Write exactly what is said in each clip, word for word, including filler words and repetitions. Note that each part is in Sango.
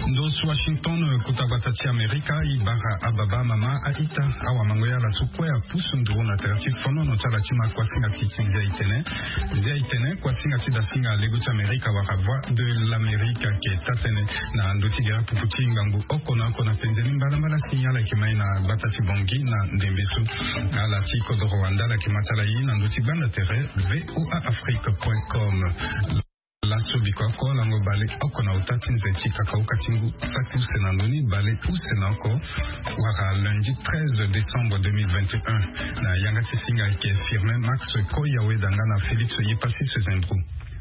Ndo su Washington, kota gbata ti Amerika, e bara ababa, amama, a-ita, awamango, ya ala so kue apusu nduru na tere ti fonono ti ala ti ma kuasinga ti ti Nzia Itene. Nzia Itene, kuasinga ti dasinga lego ti Amerika wala Voix de l'Amérique, ayeke taa-tënë na ndö ti gere pupu ti ngangu oko na oko na penze ni mbalambala si ala yeke ma e na gbata ti Bangui na ndembe so. Ala ti kodoro wande ala yeke ma ti ala e na ndö ti gbanda tere V O A Afrique point com. Laso biko oko lango bale oko na ota ti nze ti kakauka ti ngu saki use na ndö ni bale use na oko, wala lundi treize décembre deux mille vingt et un, na yanga ti singa ayeke Firmin Max Koyaweda nga na Félix Yepassis Zendro.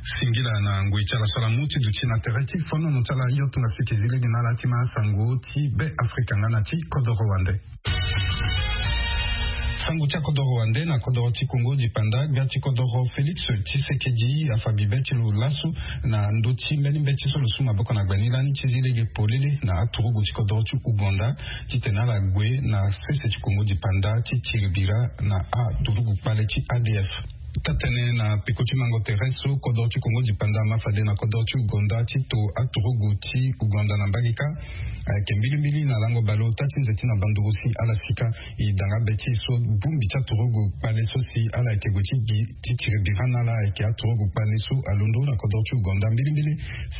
Singila na ngoi ti ala so ala mu ti duti na tere ti fonono ti ala, yo tongaso eke zi lege na ala ti ma sango ti Be Afrika nga na ti kodoro wande. Sango ti akodoro wande na kodoro ti Kongo dipanda, gbia ti kodoro Félix Tshisekedi afa bibe ti lo laso na ndö ti mbeni mbeti so lo su maboko na gbe ni lani ti zi lege polele na aturugu ti kodoro ti Ouganda, titene ala gue na sese ti Kongo dipanda ti tiri bira na aturugu kpale ti A D F. Taa-tënë na peko ti mango tere so kodoro ti Kongo dipanda ama fade na kodoro ti Ouganda ti to aturugu ti Ouganda na mbage kâ. Ayeke mbilimbili na lango bale ota ti nze ti na banduru si ala sika. E danga be ti e so bongbi ti aturugu kpale so si ala yeke gue ti gi ti tiri bira na ala ayeke aturugu kpale so alondo na kodoro ti Ouganda mbilimbili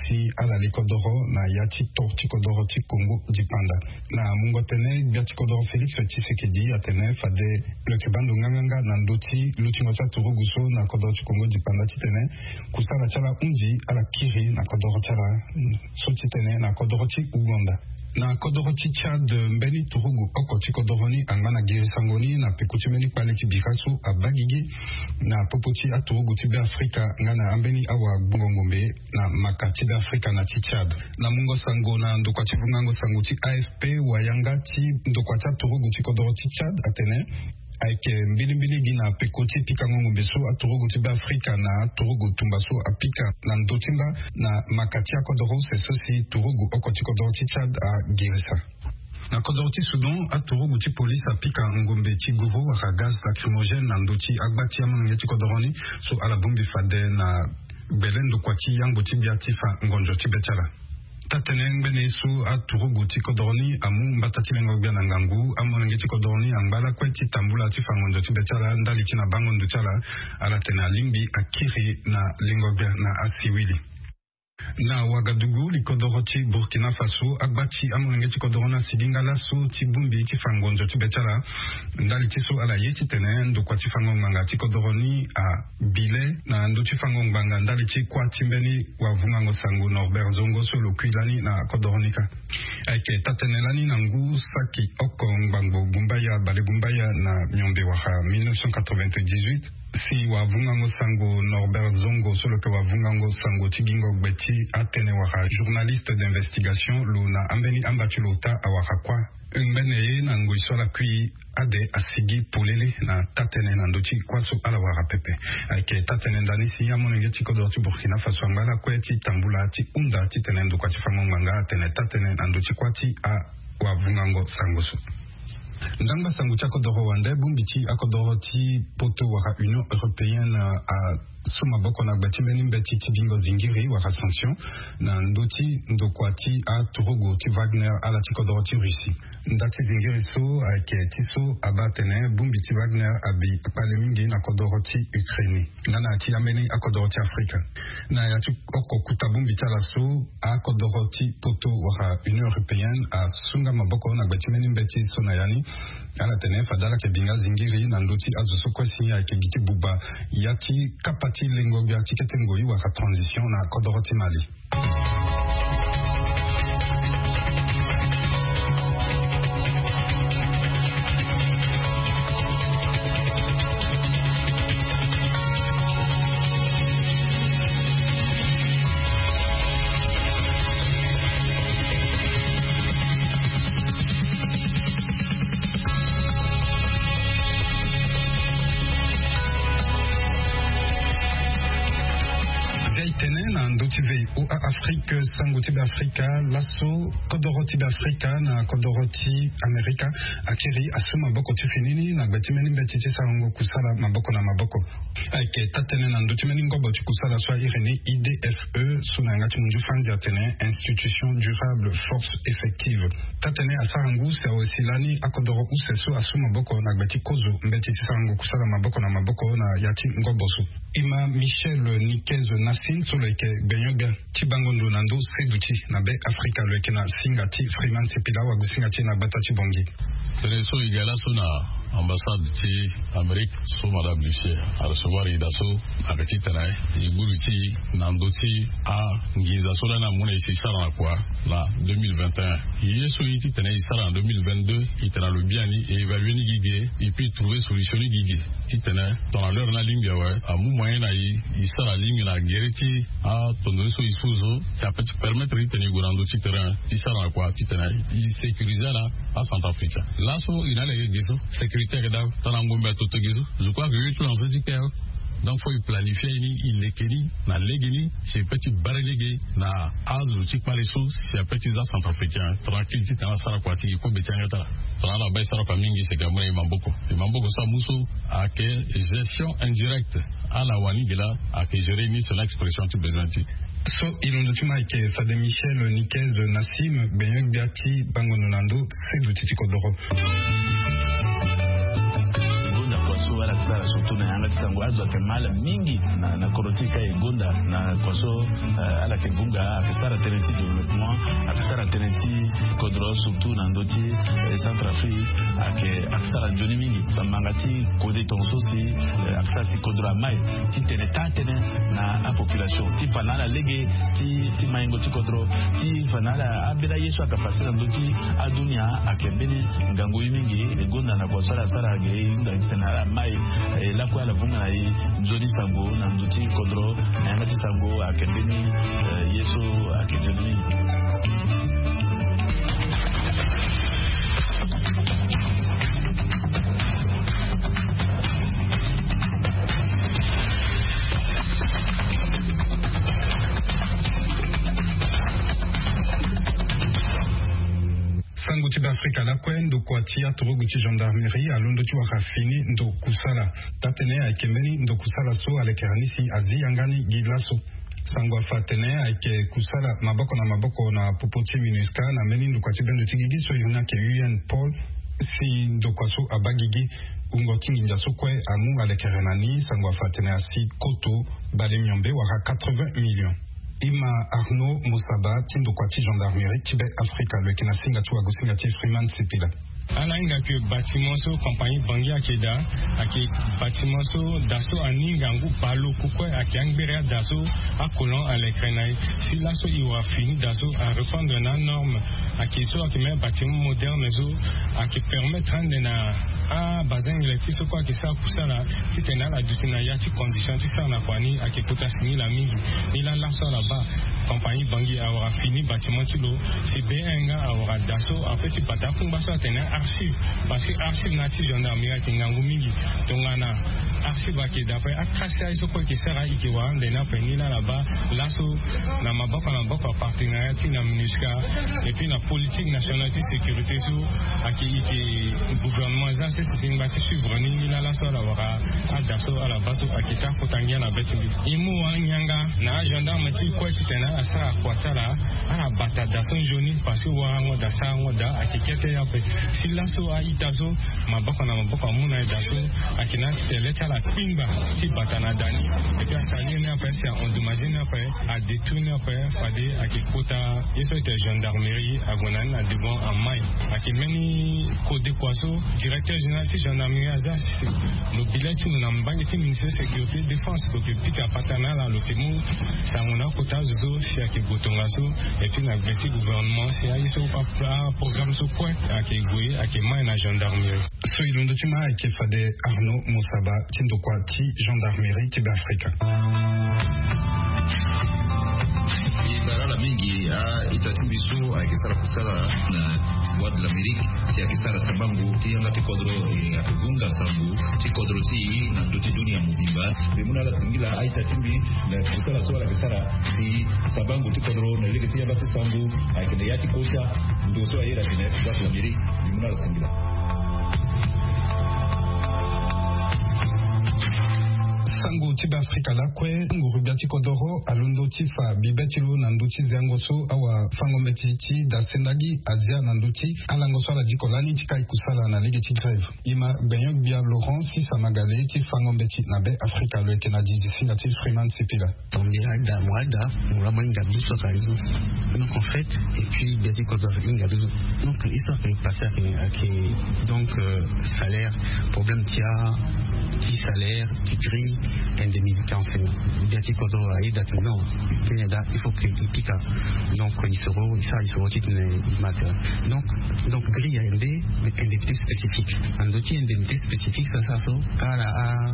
si ala li kodoro na ya ti to ti kodoro ti Kongo dipanda. Na mungo tënë, gbia ti kodoro Félix Tshisekedi atene fade lo yeke baa ndo nganganga na ndö ti lutingo ti aturugu so na kodoro ti Kongo dipanda titene kusala ti ala hunzi ala kiri na kodoro ti ala, so ti tene na kodoro ti Ouganda. Na kodoro ti Tchad, mbeni turugu oko ti kodoro ni angba na girisango ni na peko ti mbeni kpale ti bira so abaa gigi na popo ti aturugu ti Be Afrika nga na ambeni awagbongo ngombe na maka ti Be Afrika na ti Tchad. Na mungo sango na ndokua ti vungango sango ti A F P, wayanga ti ndokua ti aturugu ti kodoro ti Tchad atene ayeke mbilimbili gi na peko ti pikango ngombe so aturugu ti Be Afrika na aturugu tumba so apika na ndö ti mba na maka ti akodoro use so si turugu oko ti kodoro ti Tchad agirisa. Na kodoro ti Soudan, aturugu ti polise apika ngombe ti guru wala gaz lacrymogène na ndö ti agba ti amolenge ti kodoro ni so ala bongbi fade na gbele ndokua ti yangbo ti gbia ti fa ngonzo ti be ti ala. Taa-tënë ngbene ye so aturugu ti kodoro ni amu mbata ti lengo gbia na ngangu, amolenge ti kodoro ni angba lakue ti tambula ti fa ngonzo ti be ti ala ndali ti na bango ndo ti ala. Ala tene alingbi akiri na lengo gbia na asiwili. Na Wagadugu, likodoro ti Burkina Faso, agba ti amolenge ti kodoro ni asigi nga laso ti bongbi ti fa ngonzo ti be ti ala. Ndali ti so ala ye titene ndokua ti fango ngbanga ti kodoro ni abi le na ndö ti fango ngbanga ndali ti kuâ ti mbeni wavungango sango Norbert Zongo so lo kui lani na kodoro ni kâ. Ayeke taa-tënë lani na ngu saki oko ngbangbo gumbaya bale gumbaya na miombe wala mille neuf cent quatre-vingt-dix-huit, si wavungango sango Norbert Zongo so lo yeke wavungango sango ti gingo gbe ti atënë wala journaliste d'investigation lo na ambeni amba ti lo ota awara kuâ. Ngbene ye na ngoi so ala kui ade asigi polele na taa-tënë na ndö ti kuâ so ala wara pepe. Ayeke taa-tënë ndani si amolenge ti kodoro ti Burkina Faso angba lakue ti tambula ti hunda titene ndokua ti fango ngbanga atene taa-tënë na ndö ti kuâ ti awavungango sango so. Ndangba sango ti akodoro wande, bongbi ti akodoro ti Poto wala Union Européenne asu maboko na gbe ti mbeni mbeti ti bingo zingiri wala sanction na ndö ti ndokua ti aturugu ti Wagner ala ti kodoro ti Russie. Nda ti zingiri so ayeke ti so abaa atene bongbi ti Wagner abi kpale mingi na kodoro ti Ukraine nga na ya ti ambeni akodoro ti Afrika. Na ya ti oko kuta bongbi ti ala so, akodoro ti Poto wala Union Européenne asu nga maboko na gbe ti mbeni mbeti so na ya ni. Ala tene fade ala yeke bi nga zingiri na ndö ti azo so kue si ayeke gi ti buba ya ti kapa ti lengo gbia ti kete ngoi wala transition na kodoro ti Mali. Nzia Itene. Na ndö ti V O A Afrique, sango ti Beafrika laso, kodoro ti Beafrika na kodoro ti Amerika akiri asu maboko ti fini ni na gbe ti mbeni mbeti ti sarango kusala maboko na maboko. Ayeke taa-tënë na ndö ti mbeni ngobo ti kusala so a iri ni I D F E, so na yanga ti munzu franzi atene Institution Durable Force Effective. Taa-tënë asara ngu si awe si lani akodoro use so asu maboko na gbe ti kozo mbeti ti sarango kusala maboko na maboko na ya ti ngobo so. Ima Michel Niquez Nassim so lo yeke gbenyo-gbia ti bango ndo na ndö seduti na Be Afrika, lo yeke na singa ti Freeman Sipila, wagu singa ti e na gbata ti Bangui. Tënë so e ga laso na ambassade ti Amérique so Madame Lucier arecevoir e daa so, ayeke titene e gbu li ti e na ndö ti anginza so lani amu na e si e sara na kua na deux mille vingt et un. Ye so e ye titene e sara na deux mille vingt-deux, e tene na lo biani, e évaluer ni gi ge, et puis e trouver solution ni gi ge. Titene tongana l'heure ni alingbi awe, amu moyen na e, e sara alingbi na gere ti atondo ni so e su so, si ape ti permettre titene e gue na ndö ti terrain ti sara na kua titene e sécuriser ala acentrafricain. Laso e na ala yeke ge so, sécurité ayeke daa, tongana ngombe ato to ge so. Je crois que ye ti lo na so ti kpe awe. Donc faut e planifier ni, e leke ni na legeni, si e pe ti bare lege na azo ti kpale so, si ape ti za centrafricain tranquille titene asara kua ti e kobe ti yanga ti ala. Tongana ala baa e sara kua mingi, c'est que amu na e maboko. E maboko so amu so ayeke gestion indirecte. Ala wani ge laa ayeke gérer ni selon expression ti besoin ti e. So e londo ti ma ayeke fade Michel Niquez Nassim, gbenyo-gbia ti bango ndo na ndö seduti ti kodoro. Gonda kua so ala yeke sara surtout na yanga ti sango, azo ayeke ma ala mingi na, na kodro ti e ka e gonda na kua so, eh, ala yeke vunga, ayeke sara tënë ti développement, ayeke sara tënë ti kodro surtout na ndö ti, eh, Centrafrique, ayeke, ayeke sara nzoni mingi. Bamanga ti kode tongaso si, eh, ayeke sara si kodro amai titene taa-tënë na apopulation ti fa na ala lege ti, ti maingo ti kodro, ti fa na ala ambeni aye so ayeke pase na ndö ti adunia. Ayeke mbeni ngangu ye mingi. E gonda na kua so ala sara ge, e hunda titene ala mai, eh, lakue ala vunga na e nzoni sango na ndö ti kodro. Na yanga ti sango ayeke mbeni, eh, ye so ayeke nzoni mingi. Sango ti Beafrika lakue, ndokua ti aturugu ti gendarmerie alondo ti wara fini ndo kusala. Taa-tënë ayeke mbeni ndo kusala so alekere ni si azi yanga ni gi laso. Sango afa atene ayeke kusala maboko na maboko na popo ti MINUSCA na mbeni ndokua ti bendo ti gigi so iri ni ayeke U N Paul, si ndokua so abaa gigi. Wungo ti nginza so kue amu alekere na ni, sango afa atene asi koto bale miombe wala quatre-vingts millions. Ima Arnaud Mosaba ti ndokua ti gendarmerie ti Be Afrika, lo yeke na singa ti wago singa ti Freeman Sipila. Ala hinga ke bâtiment so compagnie Bangui ayeke daa, ayeke bâtiment so da so ani hinga ngu baleoko kue, ayeke angbere ada so acolon alekere na e. Si laso e wara fini da so arépondre na anorme. Ayeke so ayeke même bâtiment moderne so ayeke permettre ande na abazengele ti so kue ayeke sara kusala titene ala duti na ya ti condition ti sara na kua ni ayeke kota singila mingi. Ni laa laso ala baa compagnie Bangui awara fini bâtiment ti lo, si B un nga awara da so ape ti bata akungba so atene archive, parce que archive na ya ti gendarmerie ayeke ngangu mingi. Tongana archive ayeke daa ape, atracé aye so kue e yeke sara e yeke wara ande ni ape. Ni laa ala baa laso na maboko na maboko apartenariat ti na MINUSCA et puis na politique nationale ti sécurité so ayeke, e yeke gouvernement za sese si ngba ti suivre ni. Ni laa laso ala wara ada so ala baa so ayeke taa kota ngia na be ti mbi. E mu wara ngianga na agendarme ti e kue titene ala sara kua ti ala, ala bata da so nzoni, parce que warango da sarango da ayeke kete ape. Si laso a-ita so maboko na maboko amu na e da so ayeke na atitene le ti ala kpingba ti bata na da ni. Et puis asalir ni ape si a-endommagé ni ape, adétruire ni ape, fade ayeke kota ye so ayeke gendarmerie ague na ni na devant amai. Ayeke mbeni kode kua so directeur général ti gendarmerie aza si lo bi le ti lo na mbage ti ministère sécurité défense, lo yeke pika patara na ala, lo yeke mu sango na akota azo so si ayeke gue tongaso. Et puis na gbe ti gouvernement si aye so a, aprogramme so kue ayeke gue, ayeke mai na gendarmerie. So e londo ti ma ayeke fade Arnaud Mosaba ti ndokua ti gendarmerie ti Beafrika. E bara ala mingi a-ita ti Mbi so ayeke sara kusala na Voix de l'Amérique, si ayeke sara sambango ti yanga ti kodro, e, ayeke hunga sambu ti kodro ti e na ndö ti dunia mobimba. Mbi mu na ala singila a-ita ti mbi na kusala so ala yeke sara si sambango ti kodro na lege ti yanga ti sambu ayeke na ya ti kota. Ndo so aye na tene Voix de l'Amérique, mbi mu na ala singila. Sango ti Beafrika lakue, nguru-gbia ti kodoro alondo ti fa bibe ti lo na ndö ti zengo so awafango-mbeti ti dase ndali azia na ndö ti alango so ala diko lani ti kai kusala na lege ti grève. E ma gbenyo-gbia Laurent Sisa Magale ti fango-mbeti na Beafrika, lo yeke na dizi singa ti Freeman Sipila. Donc, mbi ada, mo ada, mo laa mo hinga biso ka biso. Donc, en fait, et puis, gbia ti kodro ahinga biso. Donc, histoire ayeke passé ayeke, ayeke, donc, euh, salaire, problème ti a, ti salaire, ti grille, indemnité enseignant. Gbia ti kodro aye da tene non, kenya da, il faut que e pika. Donc, il sera, ça, il sera ti tene e ma tere. Donc, donc, grille ayeke nde, mais indemnité spécifique. Na ndö ti indemnité spécifique so asara so, ala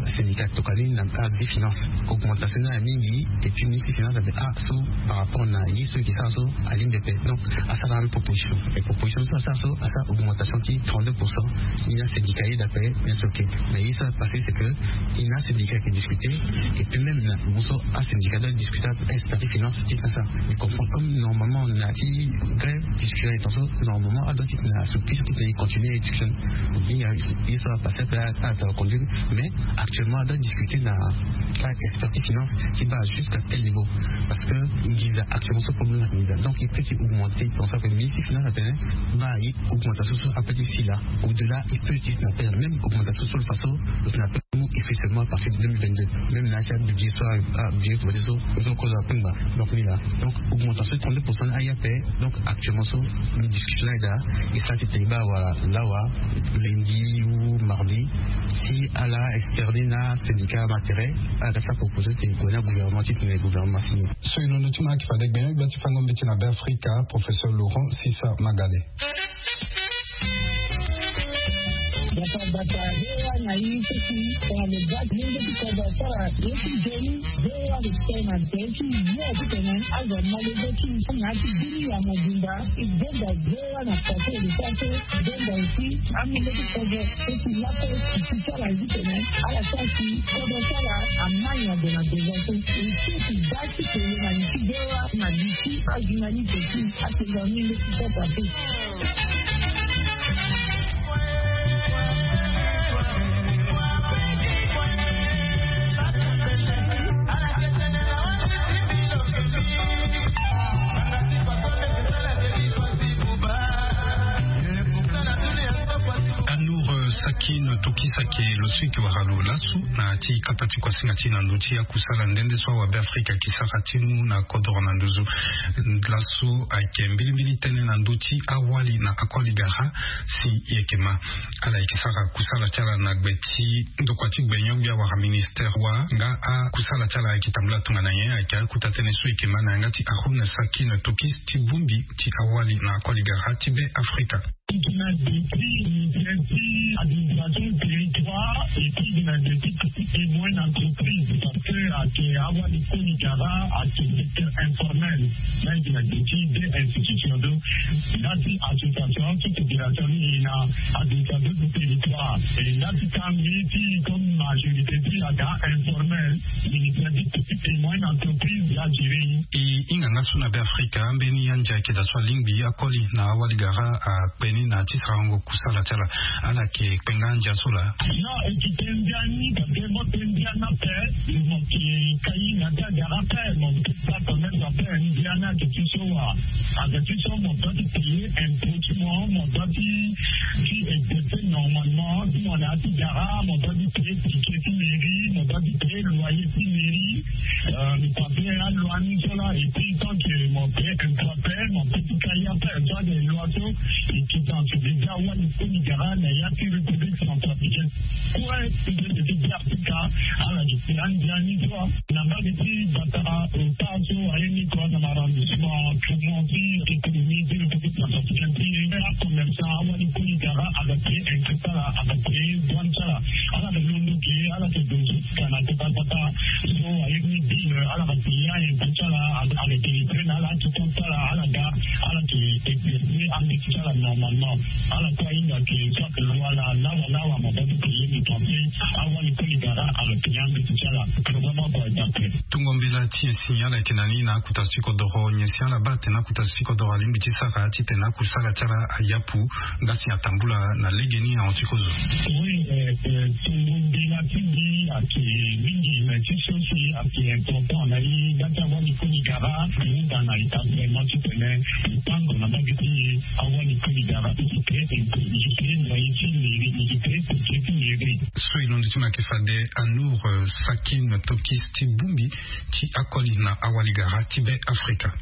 asyndicat tokua ni na avi finance. Augmentation ni ayeke mingi, et puis ministre finance atene ah so, par rapport na ye so e yeke sara so, alingbi ape. Donc, asara même proposition. Et proposition so asara so, asara augmentation ti trente-deux pour cent. Ni asyndicat ayeda ape, ni asi ok. Mais ye so apassé, c'est que ni asyndicat ayeke discuter. Et puis même na mo so asyndicat doit discuter, expert ti finance ti ka sa. Mais comprendre comme normalement na ti grève, discussion ayeke so, normalement adoit ti tene asoupi ti tene e continuer discussion. Ni aye so apassé ape, a, a, a conduire. Mais actuellement adoit discuter na, a, expert ti finance ti baa jusqu'à tel niveau. Parce que nginza actuellement so problème ayeke nginza. Donc il peut ti augmenter, pour ça que ministre ti finance atene baa ye augmentation so ape ti si laa. Au-delà il peut ti tene ape même augmentation so lo fa so lo tene ape mu effet seulement à partir de deux mille vingt-deux. Même na ya ti abudget so, abudget ti voté so, so kozo akpengba. Donc ni laa. Donc augmentation trente-deux pour cent ni aye ape. Donc actuellement so, ni discussion ni aye daa. E sara ti tene e baa wala lawa, lundi ou mardi, si ala externe na syndicat ma tere, ala ga sara proposition ti gue na gouvernement ti tene gouvernement asini. So e londo ti mo ayeke fade gbenyo-gbia ti fango-mbeti na Beafrika, professeur Laurent Sisa Magale. Bata bata, V O A na ye ti si, tongana lo baa ti lenge ti kodro asara ye ti nzoni, V O A lo tene na tere ti yo ti tene azo malege ti na ya ti bini ya mobimba. E gbenda V O A na kate lo sara so, gbenda aussi amolenge ti kodro so si lape ti sara ye ti tene ala sara si kodro ti ala amai na ndo na ndo so. E si ti baa ti tene na li ti V O A na li ti ajournaliste ti atene na mbi nde ti sara ape. Anour, euh, Sakin Tokis ayeke lo so e yeke wara lo laso na ya ti kata ti kuasinga ti e na ndö ti akusala nde nde so awabeafrika ayeke sara ti mu na kodro na nduzu. Laso ayeke mbilimbili tënë na ndö ti awali na akoli gara si e yeke ma. Ala yeke sara kusala ti ala na gbe ti ndokua ti gbenyo-gbia wala ministère wa nga akusala ti ala ayeke tambula tongana nyen? Ayeke akota tënë so e yeke ma na yanga ti Haroun Sakin Tokis ti bongbi ti awali na akoli gara ti Beafrika. Gi na gbe ti ministère ti administration territoire et puis gi na gbe ti petite et moyenne entreprise, parce que ayeke awali koli gara ayeke secteur informel. Là gi na gbe ti deux institutions, donc ndati association ti fédération ni gi na administration ti territoire, et ndati kangbi ti comme majorité ti aga informel, ministère ti petite et moyenne entreprise ya gérer. E hinga nga so na Beafrika ambeni andia ayeke daa so alingbi akoli na awali gara akpe ni na ya ti sarango kusala ti ala. Ala yeke kpe nga andia so laa? Non, e yeke kpe ndia ni, parce que mo kpe ndia ni ape, mo yeke kai na ti agara ape, mo yeke sara commerce ape. Ndia ni ayeke ti so wa, ayeke ti so mo doit ti payer impôt ti mo, mo doit ti, ti exercer normalement. Si mo na ya ti gara, mo doit ti payer ticket ti mairie, mo doit ti payer loyer ti mairie. Euh, mi paye aloi ni so laa, et puis tant que mo paye impôt ape, mo peut ti kai ape. So ayeke loi so e yeke dans ce déjà wali koli gara na ya ti République centrafricaine. Kue ti be ti Beafrika, ala yeke andia ni so wa. Na mbage ti Batara, ota so aye ni kua na arrondissement Tourmont ti économie ti République centrafricaine ti e, acommerçant awali koli gara aga payer impôt ti ala, aga payer douane ti ala. Ala yeke londo ge, ala yeke dozo ti ka na kota kota. So aye ni bill, ala ga payer impôt ti ala, aga, aga payer na ala ti compte ti ala, ala ga Ala ke exercer ambeti ti ala normalement. Ala kue ahinga ke soit loi na lawa lawa maboko ke ye ni pense. Awali kue e gara ala ke ambeti ti ala. Programme abo adape. Tongo mbela ti nyen si ala yeke na ni na akuta ti kodoro, nyen si ala baa atene akuta ti kodoro alingbi ti sara titene akusala ti ala ayapu? Nga si atambula na lege ni ahon ti kozo. Oui, tongo mbela ti mbi ayeke mingi, mais ti so si ayeke important na e nga ti awali kue ni gara. Ahinga na établissement titene e tango na mbage ti e. Awali kue ni gara e ke e ke na ye ti mairie, e ke e ke ti mairie. So e londo ti mo ayeke fade Anour Sakin Tokis ti bongbi ti akoli na awali gara ti Be Afrika.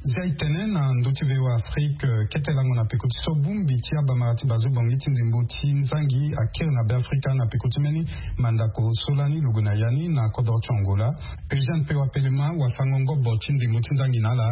Zia e tene na ndö ti V O A Afrique, kete lango na peko ti so bongbi ti abamara ti bazo bongi ti ndembo ti nzangi akiri na Be Afrika na peko ti mbeni mandako so lani lo gue na ya ni na kodro ti Angola. Eugène Pewa Pelema, wafango ngobo ti ndembo ti nzangi na ala,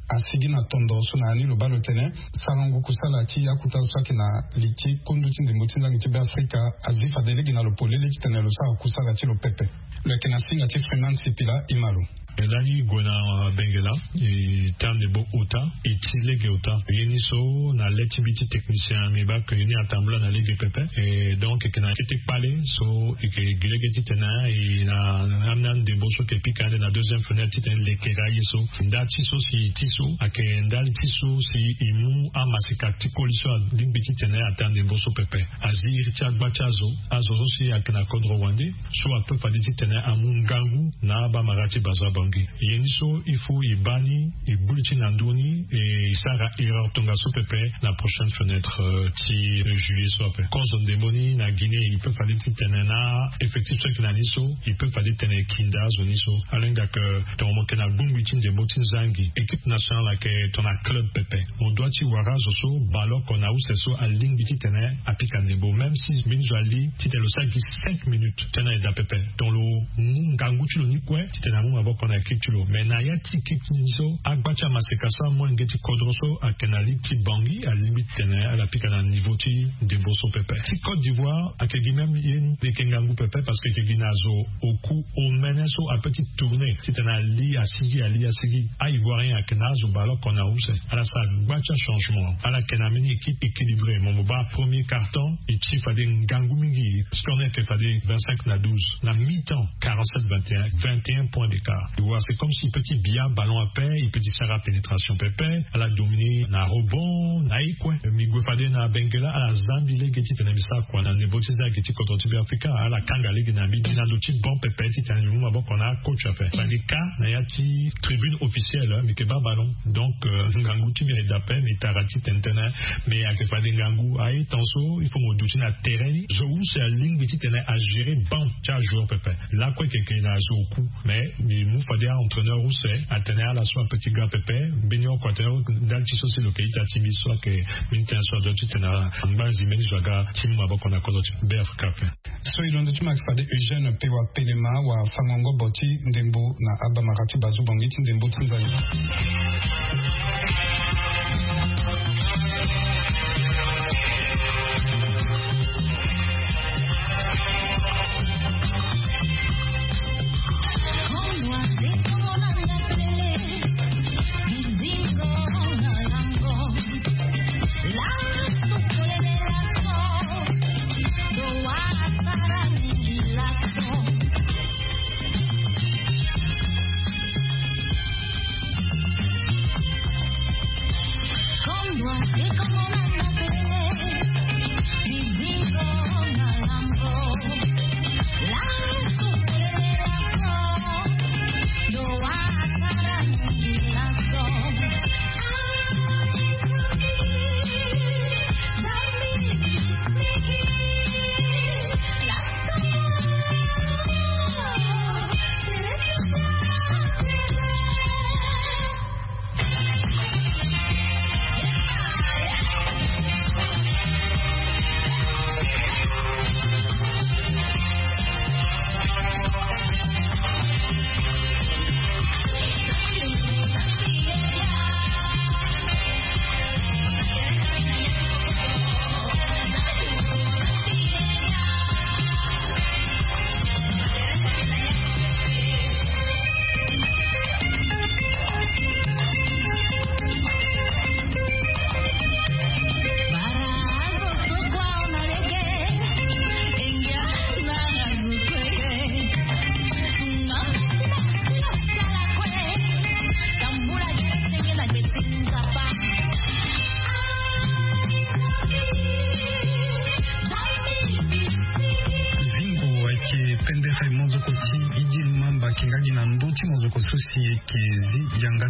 asigi na tondo so na ya ni lo baa lo tene sarango kusala ti akuta so ayeke na li ti kundu ti ndembo ti nzangi ti Be Afrika azi fade lege na lo polele titene lo sara kusala ti lo pepe. Lo yeke na singa ti Freeman Sipila, e ma lo. Lani e gue na Bengela, e tene ndembo ota, e ti lege ota. Ye ni so na le ti mbi ti technicien, mbi baa ke ye ni atambula na lege pepe. E donc e yeke na kete kpale so e yeke gi lege titene e na, na, na ndembo so e yeke pika ande na deuxième fenêtre titene e lekere aye so. Ndali ti so si e ti so ayeke ndali ti so si e mu amaseka ti koli so alingbi titene atene ndembo so pepe. Azi iri ti agba ti azo, azo so si ayeke na kodro wande, so ape fade titene amu ngangu na abamara ti bazo abongi. Ye ni so il faut e baa ni, e gbu li ti na ndö ni, e sara erreur tongaso pepe na prochaine fenêtre, euh, ti juillet so ape. Kozo ndembo ni na Guinée, e pe fade titene na effectif so ayeke na ni so, e pe fade titene e kinda azo ni so. Ala hinga ke, euh, tongana mo yeke na bongbi ti ndembo ti nzangi, équipe nationale ayeke tongana club pepe. Mo doit ti wara azo so bale oko na use so alingbi titene apika ndembo, même si mbeni zo ali titene lo sara gi cinq minutes, tena e daa pepe. Donc lo mu ngangu ti lo ni kue titene amu maboko na équipe ti lo. Mais na ya ti équipe ni so, agba ti amaseka so amolenge ti kodro so ayeke na ligue ti Bangui alingbi titene ala pika na niveau ti ndembo so pepe. Ti Côte d'Ivoire ayeke gi même ye ni, e yeke ngangu pepe parce que e yeke gi na zo oku omene so ape ti tourner titene ali asigi, ali asigi. A-Ivoirien ayeke na azo bale oko na use. Ala sara gba ti achangement. Ala yeke na mbeni équipe équilibré. Mo, mo baa premier quart-temps, e ti fade ngangu mingi. Score ni ayeke fade vingt-cinq na douze. Na mi-temps, quarante-sept vingt et un, vingt et un points d'écart. E wara c'est comme si e pe ti bia ballon ape, e pe ti sara pénétration pepe. Ala dominer na rebond, na ye kue. Mbi gue fade na Bengela, ala zambi lege titene mbi sara kua na ndembo ti nzangi ti kodro ti Be Afrika. Ala kanga lege na mbi, mbi na ndo ti banc pepe titene mbi mu maboko na coach ape. Fade ka na ya ti tribune officielle, mbi yeke baa ballon. Donc, euh, ngangu ti mbi ayeke daa ape, mbi tara titene tënë. Mais ayeke fade ngangu aye, temps so il faut mo duti na terrain ni. Zo use alingbi titene agérer banc ti ajoueur pepe. Lakue e yeke na zo oku. Mais mbi mu fade a-entraîneur use atene ala so ape ti ga pepe. Mbeni oko atene ndali ti so si lo yeke ita ti mbi so ayeke mbeni tënë so adoit titene ala ngba zi mbeni zo aga ti mu maboko na kodro ti Be Afrika ape. So e londo ti mo ayeke fade Eugène Pewa Pelema, wafango ngobo ti ndembo na abamara ti bazo bongi ti ndembo ti nzangi.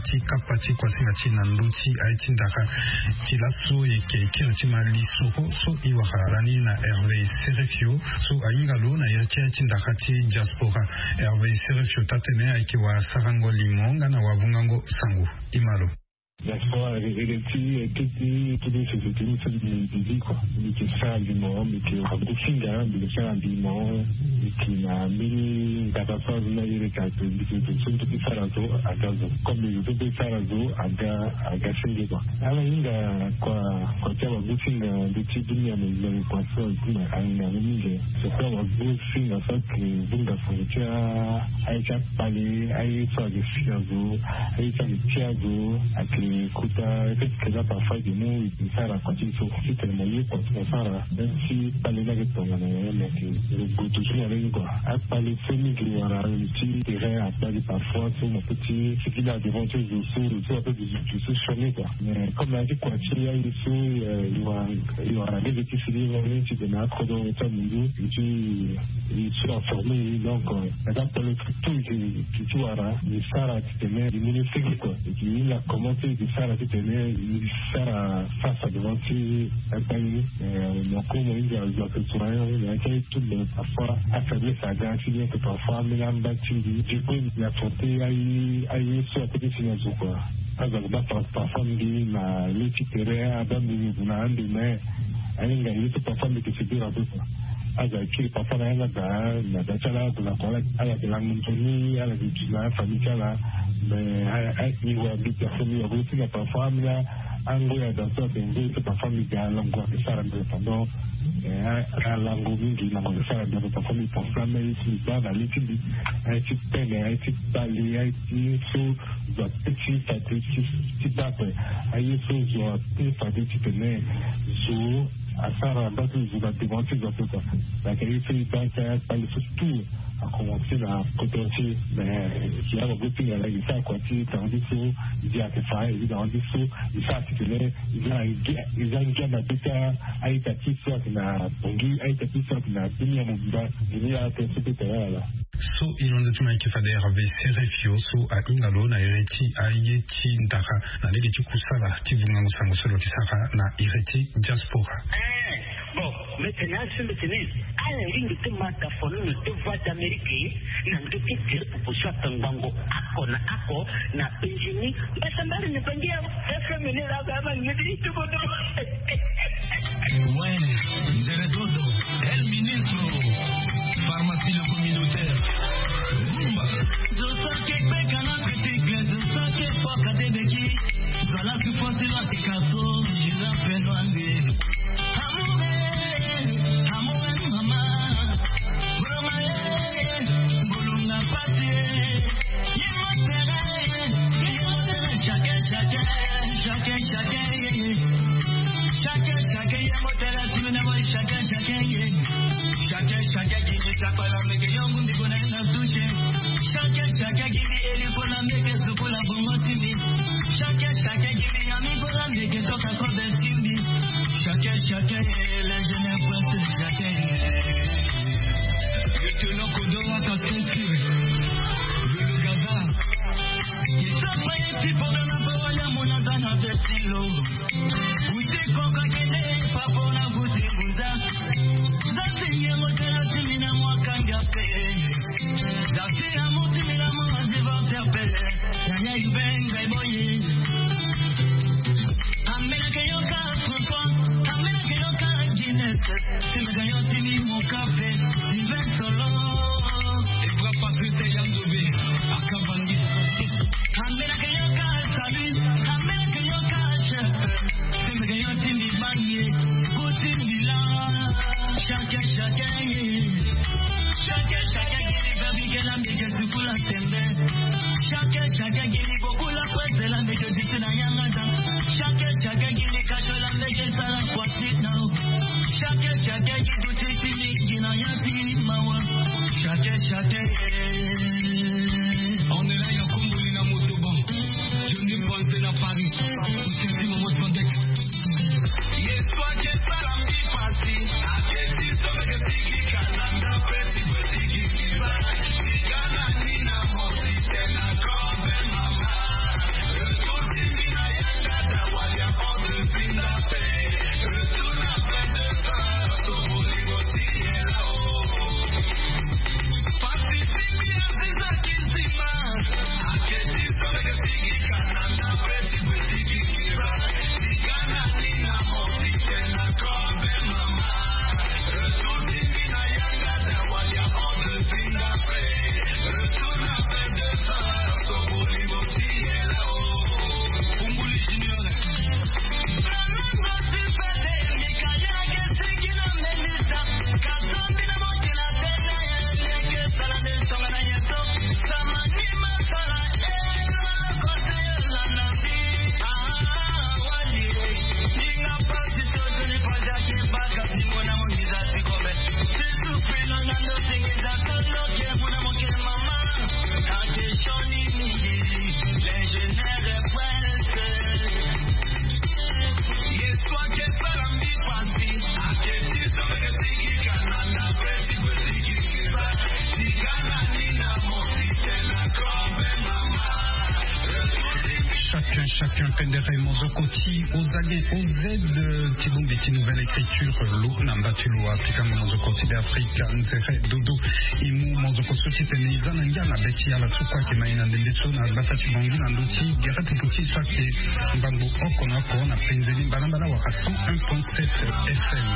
ti kapa ti kuasinga ti na ndö ti aye ti ndara ti laso eke kiri ti ma lisoro so e wara lani na Hervé Serefio so ahinga lo na iri ti aye ti ndara ti diaspora. Hervé Serefio taa-tene ayeke wasarango limo nga na wavungango sango. E ma lo. Diaspora eke ti eke ti ti société ni so mbi mbi zi kua. Mbi yeke sara limo, mbi yeke wagusinga, mbi yeke sara limo. Mbi yeke na mbeni ndaka so azo ni ayeke ake mbi yeke zo so mbi yeke sara zo aga zo. Comme mbi zo so mbi yeke sara zo aga aga senge kua. Ala hinga kua kua ti awagusinga ndö ti dunia mobimba. Kua so ahinga mingi. Surtout awagusinga so ayeke vunga sango ti aye ti akpale, aye so ayeke si azo, aye so ayeke ti azo, ayeke kota. Peut-être que là parfois ayeke mu e sara kua ti so titene mo ye kua ti mo sara. Même si kpale ni ayeke tongana nyen, mais ayeke lo gue toujours na lege kua. Akpale so mingi wara lo ti terrain akpale parfois so mo peut ti sigi na devant ti zo so, zo so ape zo so sioni kua. Mais comme na ya ti kua ti aye so, euh, e wara, e wara lege ti sigi na lege ti tene akodro ti amundu ti e so aforme e. Donc, euh, na ka polo ti tout e ti wara e sara titene e mu ni sigi kua. E ti e la commencé e ti sara titene e sara face à devant ti akpale ni. Euh, mo ko mo hinga zo ayeke zo na ya ni, mais ayeke tout, mais parfois afaiblesse aga ti bien que parfois ambeni amba ti mbi. Du coup mbi affronté aye, aye so ape ti si na zo kua. Azo ayeke baa par-, parfois mbi na le ti tere, abaa mbi mbi gue na ande, mais ahinga ye so parfois mbi yeke séduire ape kua. Azo ayeke kiri parfois na yanga daa na daa ti ala, ala gue na kua, ala yeke lango nzoni, ala yeke duti na afamille ti ala. Mais a, a, mbi wa mbi personne, mbi wa mbi ti na parfois ambeni angoi ada so ayeke ngoi so parfois mbi ga lango ayeke sara mbi pendant, eh, a, alango mingi na mo yeke sara mbi pendant. Parfois mbi pense na mbeni ye so mbi baa na le ti mbi, aye ti pene, aye ti kpale, aye ti so zo ape ti fade ti, ti baa ape. Aye so zo ape fade titene zo asara mbage ti zo na devant ti zo ape kua. Donc aye so e baa ti akpale so tout a commencé na kodro ti e. Mais si awagosinga laa e sara kua ti tanga ti so, e zi ayeke fa, e zi tanga ti so e sara titene e za na ngia, e za ngia na be ti a-ita ti so ayeke na Bangui, a-ita ti so ayeke na dunia mobimba. Dunia ape so be tene ala. So e londo ti mo ayeke fade Hervé Serefio so ahinga lo na iri ti aye ti ndara na lege ti kusala ti vungango sango so lo yeke sara na iri ti diaspora. Eh, bon, mbi tene azo so mbi tene ala lingbi ti ma tafoni na deux voix d'Amérique na ndö ti tere popo so atangbango oko na oko na Benjini. Mbasambari ni bangi ya F M ni la ba ma ngedi ti bodo. Ouais, Nzere Dodo, El Ministro, pharmacie le communautaire. Rumba. Zo so ayeke kpeka na article, zo so ayeke foka te beki. Zo ala ti fosi lo ayeke ka so, je l'appelle Wande. Amour, eh, amour, eh, mama. Mama, eh, bolonga pasi, eh. Ye mo tere, ye mo tere, chacun, chacun, chacun, chacun, eh, eh. Chacun, chacun, ye mo tere, tu me n'as chacun, chacun, eh. Chacun, chacun, qui me tape à la mec, yo, mundi, bona, na touche. Chacun, chacun, qui me, eli, bona, mec, sukula, bongo, timi. Chacun, chacun, qui me, ami, bona, mec, toka, ko, ben, timi. Chacun, chacun, eh, les jeunes, chacun, eh. Yo, Toloko, Dora, sa, Tesi. Yo, le Gaza. Qui ça, ça, y est, si, pour le, na, pa, wala, mon, na, na, na, Tesi, lo. Uti koko kende papa na kuti kuza. Zasi ye motela timi na mwa kanga pe. Zasi ya motimi na mwa divorce pe. Yaya ibenga iboye. Amena ke yoka kuko. Amena ke yoka Guinness. Timi ga yo timi mo kafe. Iben solo. Ebra Patrice Yandobe. Akabangi. Amena ke yoka salut. Amena ke yoka chef. Tembeke yo ti mbi bangi ye. Ko ti mbi la. Chacun, chacun ye. Chacun, chacun ye. Babi ke la mbi ke sukula tembe. Chacun, chacun ye. Ni bokula kwese la mbi ke disi na yanga da. Chacun, chacun ye. Ni kato la mbi ke sala kwa ti na. Chacun, chacun ye. Ko ti ti ni ki na ya ti mawa. Chacun, chacun ye. On est là, ya Kumbuli na Motoban. Johnny Ponce na Paris. Ousenti Momo Sandek. Ye so ake sala mbi pasi. Ake ti so meke sigi kalanda pe ti kue sigi kiba. Sigi na ni na mo ti tene na kobe mama. Ndere mozoko ti ozage oz ti bongbi ti nouvelle écriture lo na mba ti lo apikanga mozoko ti be afrika nzere dodo. E mu mozoko so ti tene e za na ngia na be ti ala so kue ayeke ma e na ndembe so na gbata ti bongi na ndö ti gere pupu ti e so ayeke ngbangbo oko na oko na penzeni mbalambala wala cent un point sept. F M.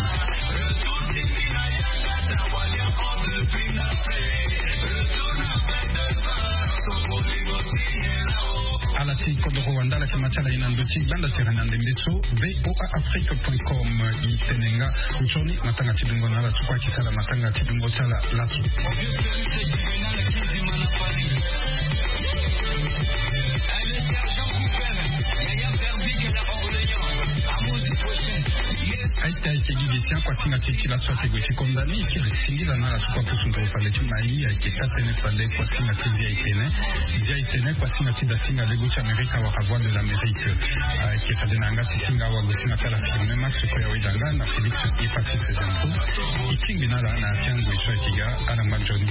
Ala ti kodoro wanda ala yeke ma ti ala ye na ndö ti gbanda tere na ndembe so. V O A Afrique point com. E tene nga nzoni matanga ti dungo na ala so kue ayeke sara matanga ti dungo ti ala laso. Aita ayeke gi gi ti akuasinga ti e ti laso ayeke gue ti konda ni e kiri singila na ala so kue apusu nduru fade ti mai ayeke taa tënë fade kuasinga ti via e tene. Via e tene kuasinga ti dasinga lego ti amerika wala voix de l'amérique. Ayeke fade na yanga ti singa awagosinga ti ala firme max kue awe danga na félix. Epatis zanko e tingbi na ala na afiango e so ayeke ga. Ala ngba nzoni.